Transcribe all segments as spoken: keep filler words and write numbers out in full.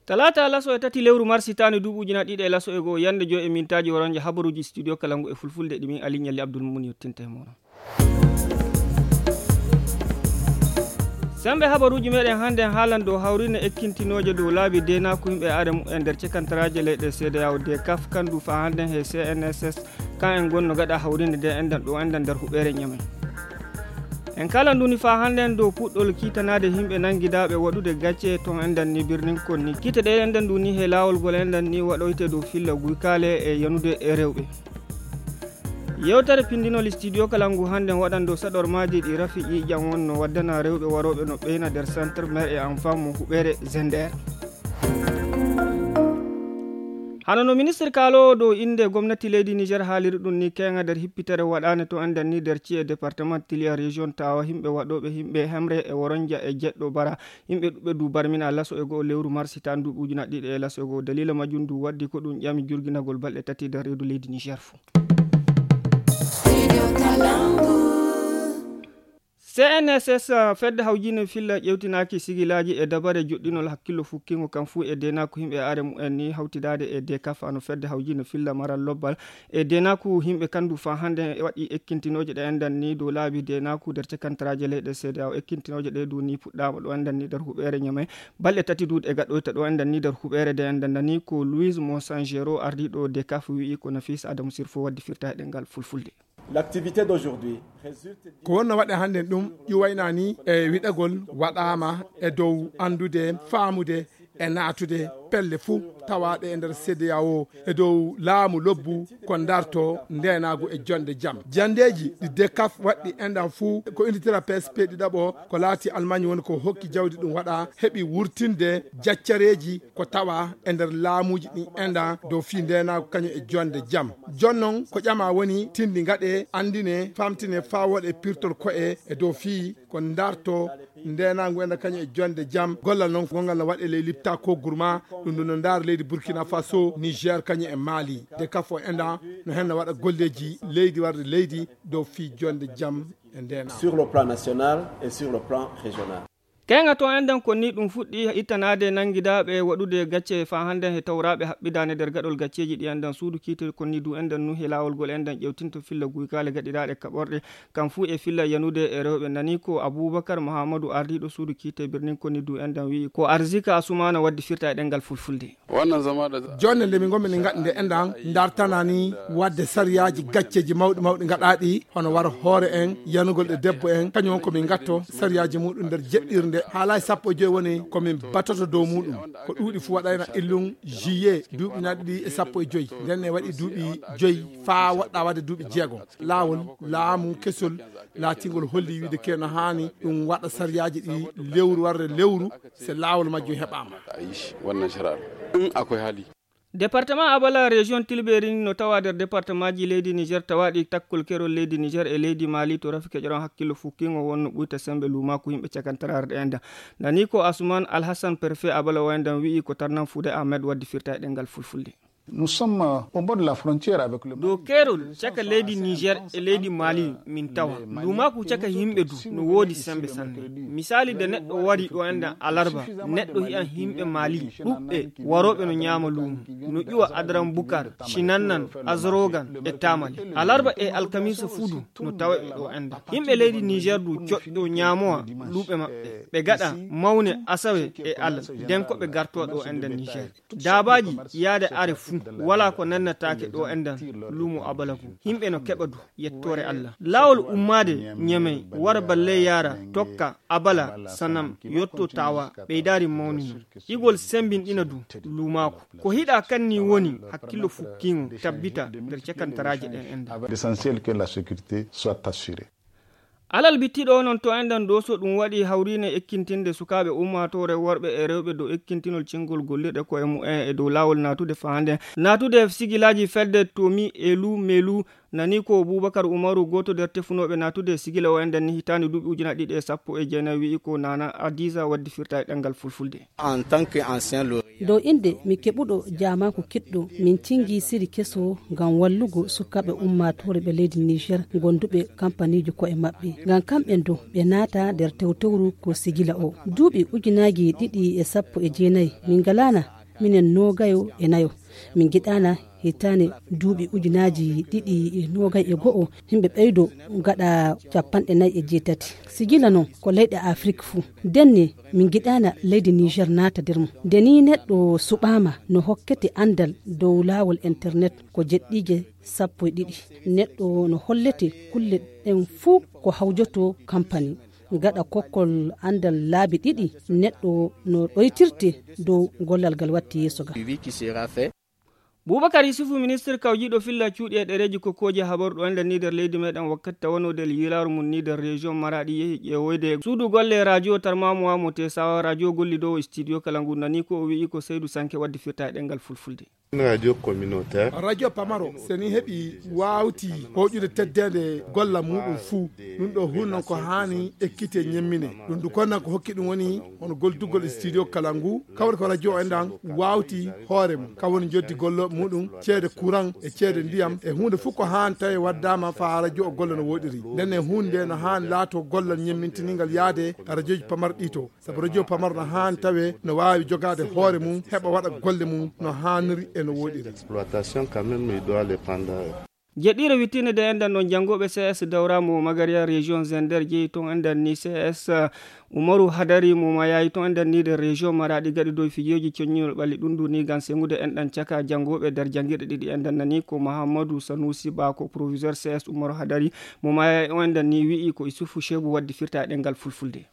Talaata laso e tati lewru mars hitaande duuɓi ujunaaji ɗiɗi e laso e goo, yannde joy e mintaaji waronja habaruuji studio kala ngu e fulfulde ɗi min Aliɲalli Abdul Mumun yottinta e mooɗon. Semmbe habaruuji meeɗen hannden haalan dow hawriine ekkintinooje dow laabi deenaaku yimɓe e aada mumen nder cekantaraaje leyɗe C D A O D kaf kandu faa hannden he C N S S. Kan en gonno gaɗa hawriinde nde enɗan ɗo enɗan nder huɓeere Ɲamay. En kaalan ndu ni faa hannden dow puɗɗol kiitanaade yimɓe nanngidaaɓe waɗude gacce ton enɗan ni birnin Konni. Kiite ɗe enɗan ndu ni he laawol gol enɗan ni waɗoyte dow filla guykaale e yanude e rewɓe. Yewtere pinndinol studio kala ngu hannden waɗan dow saɗormaaji ɗi Rafi Ƴiiƴan wonno waddana rewɓe warooɓe no ɓeyna nder centre mère et enfant mo huɓeere Zender. Hano no ministre kaaloowo dow innde gomnati leydi Niger haaliri ɗum ni, keeŋa nder hippitere waɗaane to enɗan ni nder ci'e département Tiliya région Tawa, yimɓe waɗooɓe yimɓe hemre e woronja e jeɗɗo bara, yimɓe ɗuɓɓe du barmina laso e go'o lewru mars hitaande duuɓi ujunaaji ɗiɗi e laso e go'o. Daliila majjum du waddi ko ɗum ƴami jurginagol balɗe tati nder reedu leydi Niger fuu. C N S S, fedde hawjiinde filla ƴewtinaaki sigilaaji e dabare joɗɗinol hakkillo fukkingo kan fuu e deenaaku yimɓe are mumen ni hawtidaade e D K F, no fedde hawjiinde filla maral lobbal e deenaaku yimɓe kandu faa hannde waɗi ekkintinooje ɗe enɗan ni dow laabi deenaaku nder cekantaraaje leyɗe C D A O. Ekkintinooje ɗe du ni puɗɗaama ɗo enɗan ni nder huɓeere Ɲamay. Balɗe tati du ɗe gaɗoyta ɗo enɗan ni nder huɓeere de enɗan ni ko Louise Monsangero ardiiɗo D K F wi'i ko Nafis Adamu Sirfo waddi firta e ɗemngal fulfulde. L'activité d'aujourd'hui résulte. Ko wonno waɗe hannden ɗum ƴuwayna ni e wiɗagol waɗaama e dow anndude, faamude e naatude pelle fuu tawaaɗe e nder C D A O e dow laamu lobbu ko darto ndeenaagu e jonde jam. Janndeeji ɗi D K F waɗɗi enɗan fuu ko inditira P S P ɗiɗaɓo ko laati Almaañ woni ko hokki jawdi ɗum waɗa heɓi wurtinde jaccareeji ko tawa e nder laamuuji ɗin enɗan dow fii ndeenaagu kañum e jonde jam. Jonnon ko ƴama woni tindi ngaɗe, anndine, famtine faa wooɗe pirtol ko'e e dow fii ko darto ndeenaagu enɗan kañum e jonde jam. Gollal noon gonngal no waɗe ley Lipta ko Gurma, ɗum ɗum no ndaara leydi Burkina Faso, Niger kañum e Mali. D K F o enɗan no heen no waɗa golleeji leydi warde leydi dow fii jonde jam e ndeenaagu. Sur le plan national et sur le plan régional. Keeŋa to enɗan ko ni ɗum fuɗɗi ittanaade nanngidaaɓe waɗude gacce faa hannden he tawraaɓe haɓɓidaane nder gaɗol gacceeji ɗi enɗan suudu kiite ko ni du enɗan nu he laawol gol enɗan ƴewtinto filla guykaale gaɗiraaɗe kaɓorɗe kam fuu e filla yanude e rewɓe nani ko Abubakar Muhammadu ardiiɗo suudu kiite birnin ko ni du enɗan wi'i ko Arzika Asumana waddi firta e ɗemngal fulfulde. Wannan zama da Jonde nde min ngonmi min ngaɗi nde enɗan dartana ni waɗde sariyaaji gacceeji mawɗi mawɗi ngaɗaaɗi hono wara hoore en, yanugol ɗe debbo en, kañum won ko min ngatto sariyaaji muɗum nder jeɗɗirnde. Haalaay sappo e joy woni ko min batoto dow muɗum. Ko ɗuuɗi fuu waɗayna illum juillet duuɓi naɗi ɗi e sappo e joy. Nden ne waɗi duuɓi joy faa woɗɗa waɗde duuɓi jeegom. Laawol laamu kesol laatingol holli wiide ke no haani ɗum waɗa sariyaaji ɗi lewru warde lewru. Se laawol majjum heɓaama. A yi shi wannan shari'ar. In akwai hali. Departement Abala, région Tilberi no tawa nder departemaaji leydi Niger tawaaɗi takkol kerol leydi Niger e leydi Mali to rafi keƴoron hakkillo fukkingo wonno ɓuyta sembe luumaaku yimɓe cakantaraare ɗe enɗan. Nani ko Asuman Alhassan, préfet Abala o enɗan wi'i ko tarnan Fude Ahmed waddi firta e ɗemngal fulfulde. Nous sommes au bord de la frontière avec le Dow keerol caka leydi Niger e leydi Mali min tawa. Luumaaku caka yimɓe du no woodi sembe sanne. Misaali, nde neɗɗo wari ɗo enɗan alarba, neɗɗo hi'an yimɓe Mali ɗuɓɓe warooɓe no ɲaama luumo, no ƴuwa Adaran Bukar, Shinannan, Azorogan e Tamale. Alarba e alkamiisa fuu du no tawa ɓe ɗo enɗan. Yimɓe leydi Niger du coƴƴo ɲaamowa luuɓe maɓɓe. Ɓe gaɗa mawne asawe e alal, nden ko ɓe gartowa ɗo enɗan Niger. Daabaaji yaade are fuu, walaa ko nannataake ɗo enɗan luumo Abalagu. Yimɓe no keɓa du, yettoore Allah. Laawol ummaade Ɲamay, wara balle yaara, tokka, Abala, Sanam, yotto Tawa, ɓeydaari mawni no. Igol sembinɗina du, luumaaku. Ko hiɗa kanni woni, hakkillo fukkiŋo, tabbita nder cekantaraaje ɗen enɗan. L'essentiel que la sécurité soit assurée. Alal bittiɗo noon to enɗan ɗo so ɗum waɗi hawriine ekkintinde sukaaɓe ummaatoore worɓe e rewɓe dow ekkintinol cingol gollirɗe koye mumen e dow laawol naatude faande, naatude sigilaaji fedde Tomi Elu Melu, nani ko Bubakar Umaru, gooto nder tefunooɓe naatude sigila o enɗan ni hitaande duuɓi ujunaaje ɗiɗi e sappo e jeenayi wi'i ko Nana Adiza waddi firta e ɗemngal fulfulde. En tant que ancien lauréat. Dow innde mi keɓuɗo jaamaaku kiɗɗo, min cingi siri keso ngam wallugo sukaaɓe ummaatoore ɓe leydi Niger gonduɓe kampaniiji ko'e maɓɓe. Ngam kamɓen dow ɓe naata nder tewtewru ko sigila o. Duuɓi ujunaaji ɗiɗi e sappo e jeenayi min ngalaana Minen noogayo e nayo. Min ngiɗaana hitaande duuɓi ujunaaji ɗiɗi e noogay e go'o, yimɓe ɓeydo gaɗa capanɗe nayi e jeetati. Si gila non, ko leyɗe Afrik fuu. Ndenne, min ngiɗaana leydi Niger naata nder mum. Nde nii neɗɗo suɓaama, no hokkete anndal dow laawol internet ko jeɗɗiije sappo e ɗiɗi. Neɗɗo no hollete kulle ɗen fuu ko hawjoto kampani. Gaɗa kokkol anndal laabi ɗiɗi, neɗɗo no ɗoytirte dow gollal ngal watti yeeso ga. Bubakar Yusufu, ministre kawjiiɗo filla cuuɗi e ɗereeji ko kooji habaru ɗo ender ni nder leydi meɗen, wakkati tawanoo nder yilaaru mum ni nder région Maraɗi, yehi ƴeewoyde suudu golle radio Tarmamuwa mo Tesawa, radio gollidoowo studio kala ngu. Nani ko o wi'i ko Seydu Sanke waddi firta e ɗemngal fulfulde. Radio communautaire. Radio pamaro, so ni heɓi waawti hoƴude teddeende golla muɗum fuu, ɗum ɗo hun non ko haani ekkite ñemmine. Ɗum du konnan ko hokki ɗum woni hono goldugol e studio kala ngu, kawri ko radio en ɗan waawti hoore mum. Ka woni joddi golle muɗum, ceede courant e ceede ndiyam e huunde fuu ko haani tawi waddaama faa radio o golla no wooɗiri. Nden e huunde no haani laato gollal ñemmintiningal yaade radioji pamarɗi to. Sabu radio pamaro no haani tawe no waawi jogaade hoore mum, heɓa waɗa golle mum no haaniri e no wooɗiri. Exploitation quand même, il doit les prendre. Jeɗɗiire wittiinde de enɗan ɗon janngooɓe C S Dawra mo Magariya région Zender jeyi ton enɗan ni C S Umaru Hadari mo Mayayi ton enɗan ni de région Maraɗi gaɗi dow fijoji coññinol ɓalli ɗum ndu ni ngam sengude enɗan caka janngooɓe nder janngirɗe ɗiɗi enɗan nani ko Mahammadu Sanusi Ba ko proviseur C S Umaru Hadari mo Mayayi on enɗan ni wi'i ko Isufu Shebu waddi firta e ɗemngal fulfulde.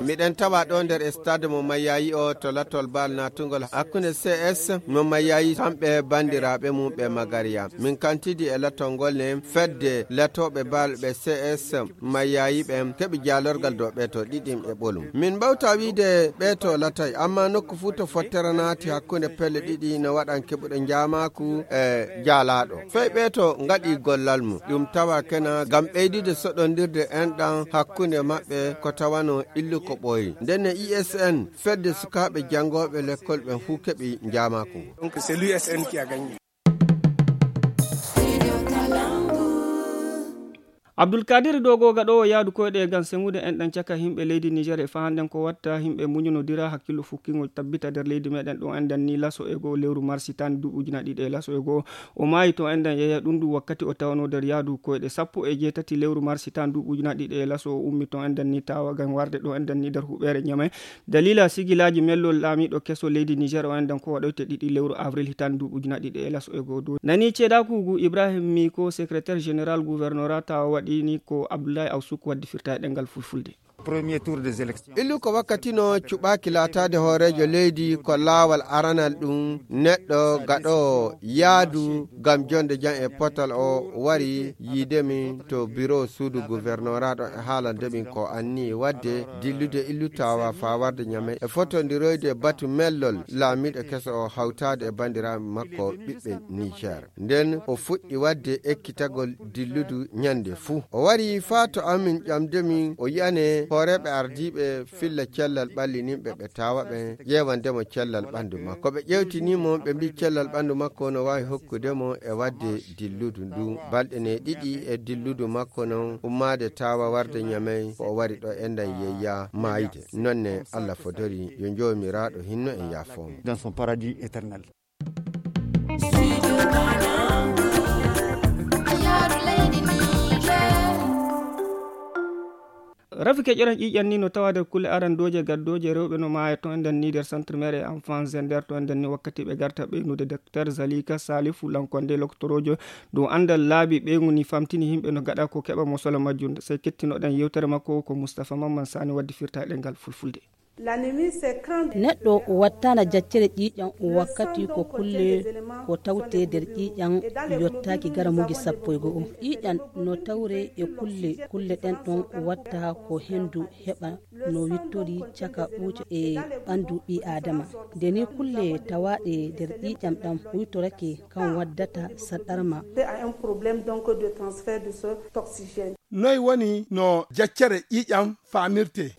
Miɗen tawa ɗo nder stade mo Mayayi o to latol bal natugol hakkunde C S mo Mayayi kamɓe bandiraaɓe mum ɓe Magariya. Min kantidi e latol ngol ne fedde latooɓe bal ɓe C S Mayayi ɓen keɓi jaalorgal dow ɓe to ɗiɗim e ɓolum. Min mbawta wiide ɓe to latay, amma nokku fuu to fottere naati hakkunde pelle ɗiɗi no waɗan keɓuɗo njaamaaku e jaalaaɗo. Fey ɓe to ngaɗi gollal mum. Ɗum tawa kena ngam ɓeydude soɗondirde enɗan hakkunde maɓɓe ko tawano illu ko ɓooyi. Ndenne I S N, fedde sukaaɓe janngooɓe lekkol ɓen fuu keɓi njaamaaku ngu. Donc, c'est l'U S N qui a gagné. Abdul Kadir Dogo gaɗoowo yaadu koyɗe ngam sengude enɗan caka yimɓe leydi Niger e fahanɗen ko watta yimɓe muñunodira hakkillo fukkingol tabbita nder leydi meɗen ɗo enɗan ni laso e goo lewru marsi tan duuɓi ujunaaji ɗiɗi e laso e goo. O maayi to enɗan yeeya ɗum ndu wakkati o tawano nder yaadu koyɗe sappo e jeetati lewru marsi tan duuɓi ujunaaji ɗiɗi e laso o ummi to enɗan ni tawa ngam warde ɗo enɗan ni nder huɓeere Ñamay. Dalila sigilaaji mellol laamiiɗo keso leydi Niger o enɗan ko waɗoyte ɗiɗi lewru avril hitan duuɓi ujunaaji ɗiɗi e laso e goo dow. Nani ceedaaku ngu Ibrahim Miko, secrétaire général gouvernorat tawa waɗi ni ko Abdoulaye Awsuk waddi firta e ɗemngal fulfulde. Premier tour des élections. Illu ko wakkati no cuɓaaki laataade hooreejo leydi ko laawal aranal ɗum neɗɗo gaɗoowo yaadu ngam jonde jam e potal o wari yiide min to biro suudu gouvernorat ɗo e haalande min ko anni waɗde dillude illu tawa faa warde Ñamay e fotondiroyde batu mellol laamiiɗo keso o hawtaade e banndiraaɓe makko ɓiɓɓe Niger. Nden o fuɗɗi waɗde ekkitagol dilludu ñande fuu. O wari faa to amin ƴamde min, o yi'ane hooreeɓe ardiiɓe filla cellal ɓallininɓe ɓe tawa ɓen, ƴeewande mo cellal ɓandu makko. Ko ɓe ƴeewtini mo, ɓe mbii cellal ɓandu makko no waawi hokkude mo e waɗde dilludu ndu. Balɗe ne ɗiɗi e dilludu makko non ummaade tawa warde Ñamay, ko o wari ɗo enɗan yeyya maayde. Nonne Allah fodori yo Joomiraaɗo hinno en yaafoo mo. Dans son paradis éternel. Rafi keƴoran ƴiiƴan ni no tawa nder kulle arandooje gaddooje rewɓe no maaya ton enɗan ni nder centre mère et enfant Zender ton enɗan ni wakkati ɓe garta ɓeynude docteur Zalika Salifu Lankonde loktoroojo dow anndal laabi ɓeyngu ni famtini yimɓe no gaɗa ko keɓa mo sola majjum. Sey kettinoɗen yewtere makko ko Moustapha Mamman Sani waddi firta e ɗemngal fulfulde. Neɗɗo wattana jaccere ƴiiƴan wakkati ko kulle ko tawte nder ƴiiƴan yottaaki garamuuji sappo e go'o. Ƴiiƴan no tawre e kulle, kulle ɗen ɗon watta ko hendu heɓa no wittori caka ɓuuca e ɓandu ɓii aadama. Nde ni kulle tawaaɗe nder ƴiiƴan ɗan huytorake kan waddata saɗɗarma. Noy woni no jaccere ƴiiƴan faamirtee?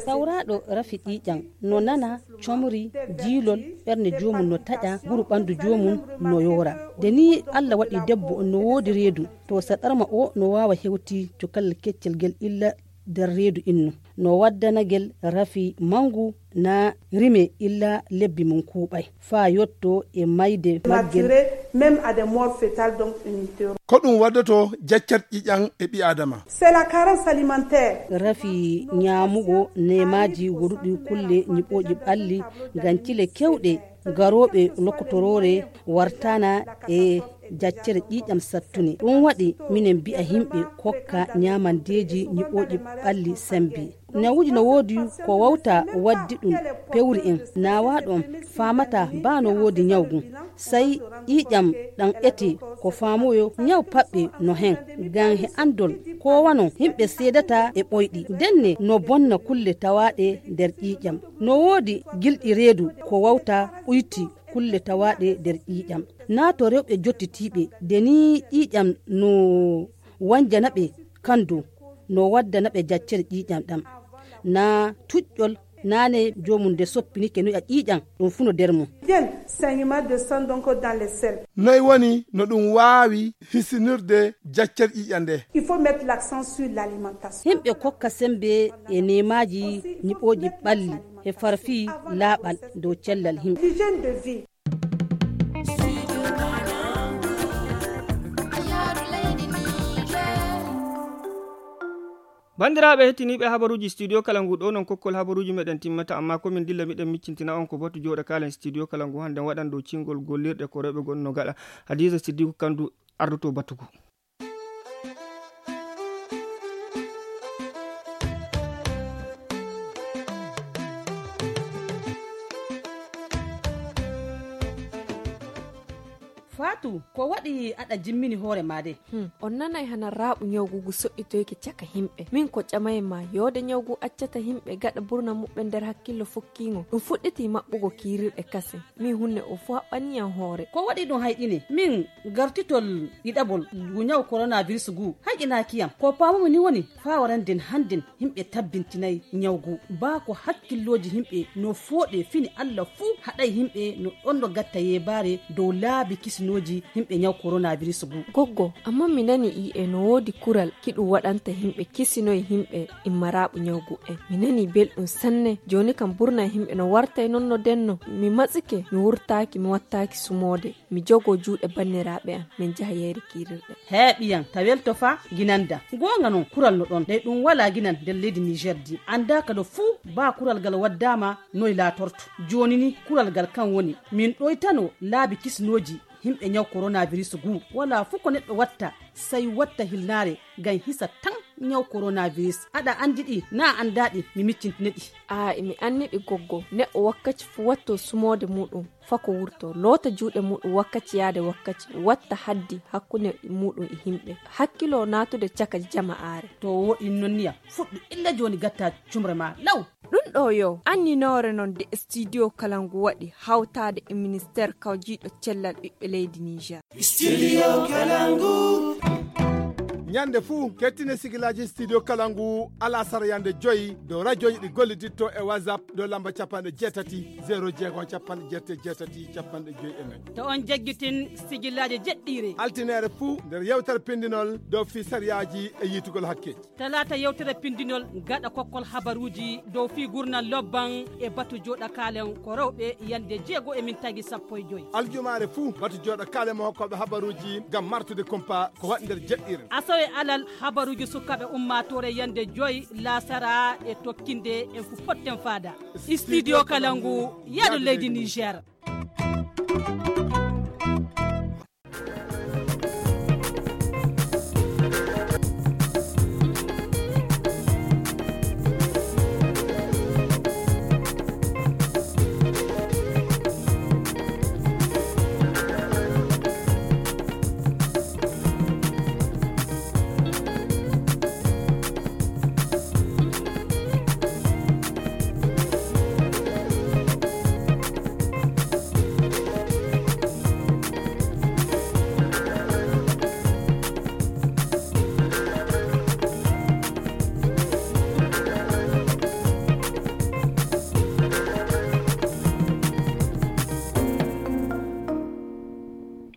Sawraaɗo rafi ƴiiƴan no nana comri, jiilol, ɓernde joomum no taƴa, guru ɓandu joomum no yoora. Nde ni Allah waɗi debbo no woodi reedu, to saɗɗarma o no waawa hewti cukal keccel ngel illa nder reedu innu. No waddanagel rafi manngu na rime illa lebbi mum kuuɓay. Faa yotto e mayde maggel. Mature, même à des morts fétales, donc une théorie. Ko ɗum waddoto jaccat ƴiƴan e ɓi Aadama. C'est la carence alimentaire. Rafi ñaamugo neemaaji woɗuɗi kulle ñiɓooji ɓalli ngam cile kewɗe garooɓe lokotoroore wartana e jaccere ƴiiƴam sattune. Ɗum waɗi minen mbi'a yimɓe kokka ñaamandeeji ñiɓooji ɓalli sembe. Ñawuuji no woodi ko wawta waddi ɗum pewri en. Naawaaɗo on faamata baa no woodi ñaw ngun. Sey ƴiiƴam ɗam ete ko faamoyo ñaw paɓɓe no hen. Ngam he anndol ko wano yimɓe seedata e ɓoyɗi. Ndenne no bonna kulle tawaaɗe nder ƴiiƴam. No woodi gilɗi reedu ko wawta ɓuyti kulle tawaaɗe nder ƴiiƴam. Naa to rewɓe jottitiiɓe, de ni ƴiiƴam no wanjana ɓe kandu, no waddana ɓe jaccere ƴiiƴam ɗam. Naa tuƴƴol naane joomum nde soppinike no ƴiiƴam, ɗum fuu no nder mum. Bien, saignement de sang donc dans les selles. Noy woni no ɗum waawi hisinirde jaccere ƴiiƴam nde? Il faut mettre l'accent sur l'alimentation. Yimɓe kokka sembe e neemaaji ñiɓooji ɓalli. He farfi laaɓal dow cellal yimɓe. L'hygiène de vie. Banndiraaɓe hettiniiɓe habaruuji studio kala ngu, ɗo non kokkol habaruuji meɗen timmata, amma ko min dilla miɗen miccintina on ko batu jooɗa kaalen studio kala ngu hannde waɗan dow cingol gollirɗe ko rewɓe gonno gaɗa. Hadiza Siddiku Kandu ardoto batu ngu. Faatu, ko waɗi aɗa jimmini hoore maa de? Hmm, on nanay hana raaɓu ñawgugu soƴƴitoyke caka himɓe. Min ko ƴamay ma, yoode ñawgu accata himɓe gaɗa burna muɓɓen nder hakkillo fokkiŋo. Ɗum fuɗɗiti maɓɓugo kiirirɗe kasen. Min hunne o fu haɓɓani yan hoore. Ko waɗi ɗum hayɗine? Min gartitol ɗiɗaɓol ngu ñaw coronavirus ngu hayɗinaaki yam. Ko paamumi ni woni faa waranden hannden yimɓe tabbintinay ñaw ngu. Baa ko hakkillooji yimɓe no fooɗe fini Alla fuu haɗay yimɓe no ɗon no gatta yeebaare dow laabi kisinooji yimɓe ñaw coronavirus ngu. Goggo, amma mi nani i'e no woodi kural ki ɗum waɗanta yimɓe kisinoy yimɓe immaraaɓu ñaw ngu en. Mi nani belɗum sanne. Jooni kam burna yimɓe no wartay non no denno. Mi matsike, mi wurtaaki, mi wattaaki sumoode. Mi jogo juuɗe banniraaɓe am, min njaha yeeri kiirirɗe. Hee ɓiyam, ta welto fa ginanda. Goonga non, kural no ɗon, ɗay ɗum walaa ginan nder leydi Niger di. Anndaa kado fuu baa kural ngal waddaama noy laatorto. Jooni ni kural ngal kan woni, min ɗoytano laabi kisnooji yimɓe ñaw coronavirus ngu. Walaa fuu ko neɗɗo watta, sey watta hilnaare ngam hisa tan ñaw coronavirus. Aɗa anndi ɗi, naa anndaa ɗi, mi miccintine ɗi. Aa, mi anndi ɗi goggo. Neɗɗo wakkaci fuu watto sumoode muuɗum. Fako wurto, loota juuɗe muuɗum wakkaci yaade wakkaci, watta haddi hakkunde muuɗum e yimɓe. Hakkilo naatude caka jama'aare. To wooɗi non niyam, fuɗɗu illa jooni gatta cumre ma law. Ɗum ɗo yo anninoore non de studio kala ngu waɗi hawtaade e ministeer kawjiiɗo cellal ɓiɓɓe leydi Niger. Studio Kalangu. Ñande fuu, kettine sigilaaji Studio Kalangu, alasara yande joyi, dow rajooji ɗi golliditto e WhatsApp, dow lamba capanɗe jeetati, zero jeego, capanɗe jeetati, capanɗe joyi e nayi. To on jaggitin sigilaaji jeɗɗiire. Altineere fuu, nder yewtere pindinol dow fii sariyaaji e yiitugol hakkeeji. Talaata yewtere pindinol gaɗa kokkol habaruuji dow fii gurnal lobban e batu jooɗa kaalen ko rewɓe yande jeego e min tagi sappo e joyi. Aljumaare fuu batu jooɗa kaalen mo hokkooɓe habaruuji ngam martude kumpa ko waɗi nder jeɗɗiire. Asawe alal habaruuji sukaaɓe ummaatoore yande joyi laasara e tokkinde en fu potten faada. Studio Kalangu, yaadu leydi Niger.